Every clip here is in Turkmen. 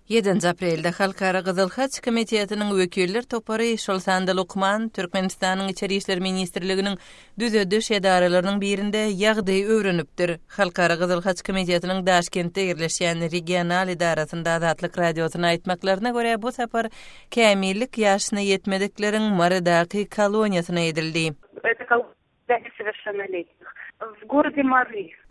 Ýedinji aprelde Halkara Gyzyl Haç Komitetiniň wekiller topary, şol sanda lukman, Türkmenistanyň Içeri işler ministrliginiň düzediş edaralarynyň birinde ýagdaýy öwrenipdir. Halkara Gyzyl Haç Komitetiniň Daşkentde ýerleşýän regional edarasynda Azatlyk Radiosyna aýtmaklaryna görä, bu sapar kämillik ýaşyna ýetmedikleriň Marydaky koloniýasyna edildi.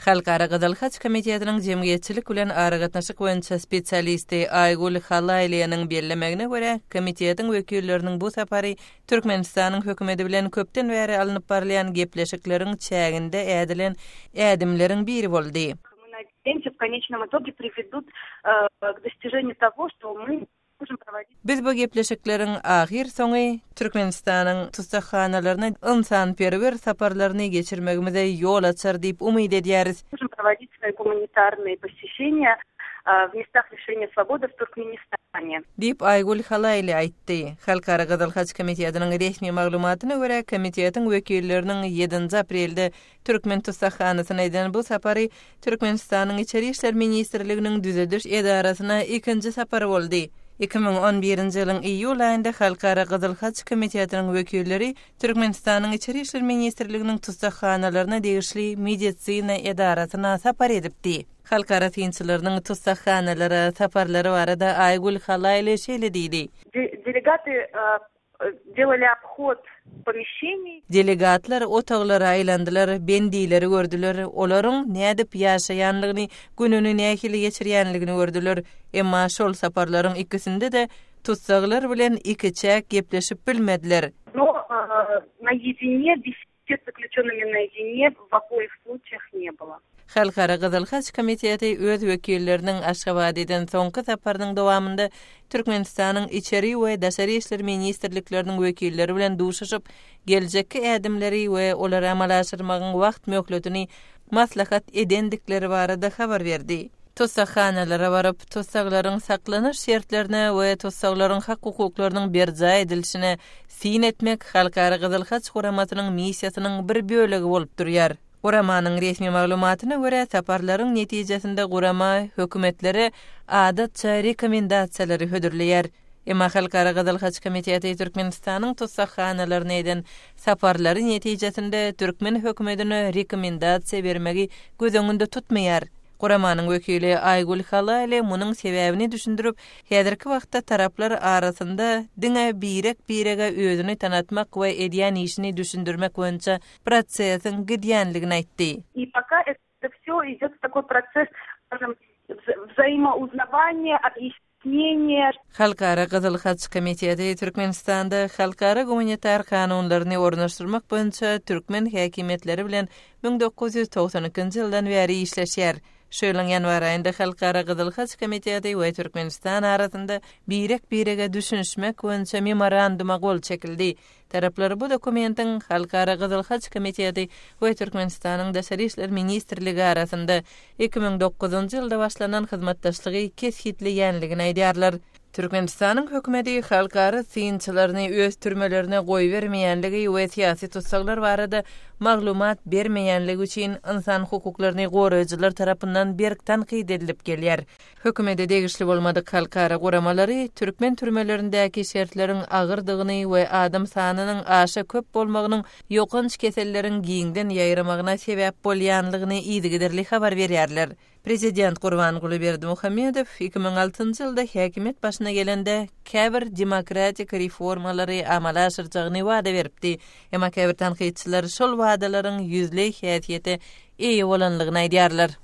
Halkara Gyzyl Haç Komitetiniň jemgyýetçilik bilen aragatnaşyk boýunça spesialisti Aýgül Halaýlynyň bellemegine görä, komitetiň wekilleriniň bu sapary Türkmenistanyň hökümeti bilen köpden bäri alnyp barylýan gepleşikleriň çäginde ädilen ädimleriň biri boldy. Biz bu gepleşikleriň ahyrsoňy Türkmenistanyň tussaghanalaryna ynsanperwer saparlaryny geçirmegimize ýol açar diýip umyt edýäris. Diýip, Aýgül Halaýly aýtdy. Halkara Gyzyl Haç Komitetiniň resmi maglumatyna görä, komitetiň wekilleriniň ýedinji aprelde Türkmen tussaghanasyna eden bu sapary Türkmenistanyň Içeri işler ministrliginiň düzediş edarasyna ikinji sapary boldy. 2011-nji ýylyň iýul aýynda Halkara Gyzyl Haç Komitetiniň wekilleri Türkmenistanyň Içeri işler ministrliginiň tussaghanalaryna degişli medisina edarasyna sapar edipdi. Halkara synçylarynyň tussaghanalara saparlary barada Aýgül Halaýly şeýle diýdi. Delegaty Delali obhod pomeşeniý. Delegatlar otaglara aýlandylar, bendileri gördüler, olaryň nädip ýaşaýanlygyny, gününi nähili geçirýänligini gördüler. Emma şol saparlaryň ikisinde-de tussaglar bilen ikiçäk gepleşip bilmediler. No naýedine besed zaklýuçennymi naýedine w oboih sluçaýah ne bylo. Halkara Gyzyl Haç Komiteti öz wekilleriniň Aşgabada eden soňky saparynyň dowamynda Türkmenistanyň Içeri we Daşary işler ministrlikleriniň wekilleri bilen duşuşyp, geljekki ädimleri we olary amala aşyrmagyň wagt möhletini maslahat edendikleri barada habar berdi. Tussaghanalara baryp, tussaglaryň saklanyş şertlerine we tussaglaryň hak-hukuklarynyň berjaý edilişine syn etmek Halkara Gyzyl Haç Guramasynyň missiýasynyň bir bölegi bolup durýar. Guramanyň resmi maglumatyna görä, saparlaryň netijesinde gurama hökümetlere adatça rekomendasiýalary hödürleýär. Emma Halkara Gyzyl Haç Komiteti Türkmenistanyň tussaghanalaryna eden saparlary netijesinde türkmen hökümetine rekomendasiýa bermegi göz öňünde tutmaýar. Guramanyň wekili Aýgül Halaýly munuň sebäbini düşündirip, häzirki wagtda taraplar arasynda diňe birek-birege özüni tanatmak we edýän işini düşündirmek boýunça prosesiň gidýänligini aýtdy. I poka eto wsýo idýot takoý proses, skažem, wzaimouznawaniýa, obýasneniýa. Halkara Gyzyl Haç Komiteti Türkmenistanda halkara gumanitar kanunlaryny ornaşdyrmak boýunça türkmen häkimiýetleri bilen 1992-nji ýyldan bäri işleşýär. Şu ýylyň ýanwar aýynda Halkara Gyzyl Haç Komiteti we Türkmenistan arasynda birek-birege düşünişmek boýunça memoranduma gol çekildi. Taraplar bu dokumentiň Halkara Gyzyl Haç Komiteti we Türkmenistanyň Daşary işler ministrligi arasynda 2009-njy ýylda başlanan hyzmatdaşlygy kesgitleýänligini aýdýarlar. Türkmenistanyň hökümeti halkara synçylaryny öz türmelerine goýbermeýänligi we syýasy tussaglar barada maglumat bermeýänligi üçin ynsan hukuklaryny goraýjylar tarapyndan berk tankyt edilip gelýär. Hökümete degişli bolmadyk halkara guramalary türkmen türmelerindäki şertleriň agyrdygyny we adam sanynyň aşa köp bolmagynyň ýokanç keselleriň giňden ýaýramagyna sebäp bolýanlygyny yzygiderli habar berýärler. Prezident Gurbanguly Berdimuhamedow 2006-njy ýylda häkimiýet başyna gelende käbir demokratik reformalary amala aşyrjagyny wada beripdi. Emma käbir tankytçylar şol wadalaryň ýüzleý häsiýete eýe bolanlygyny aýdýarlar.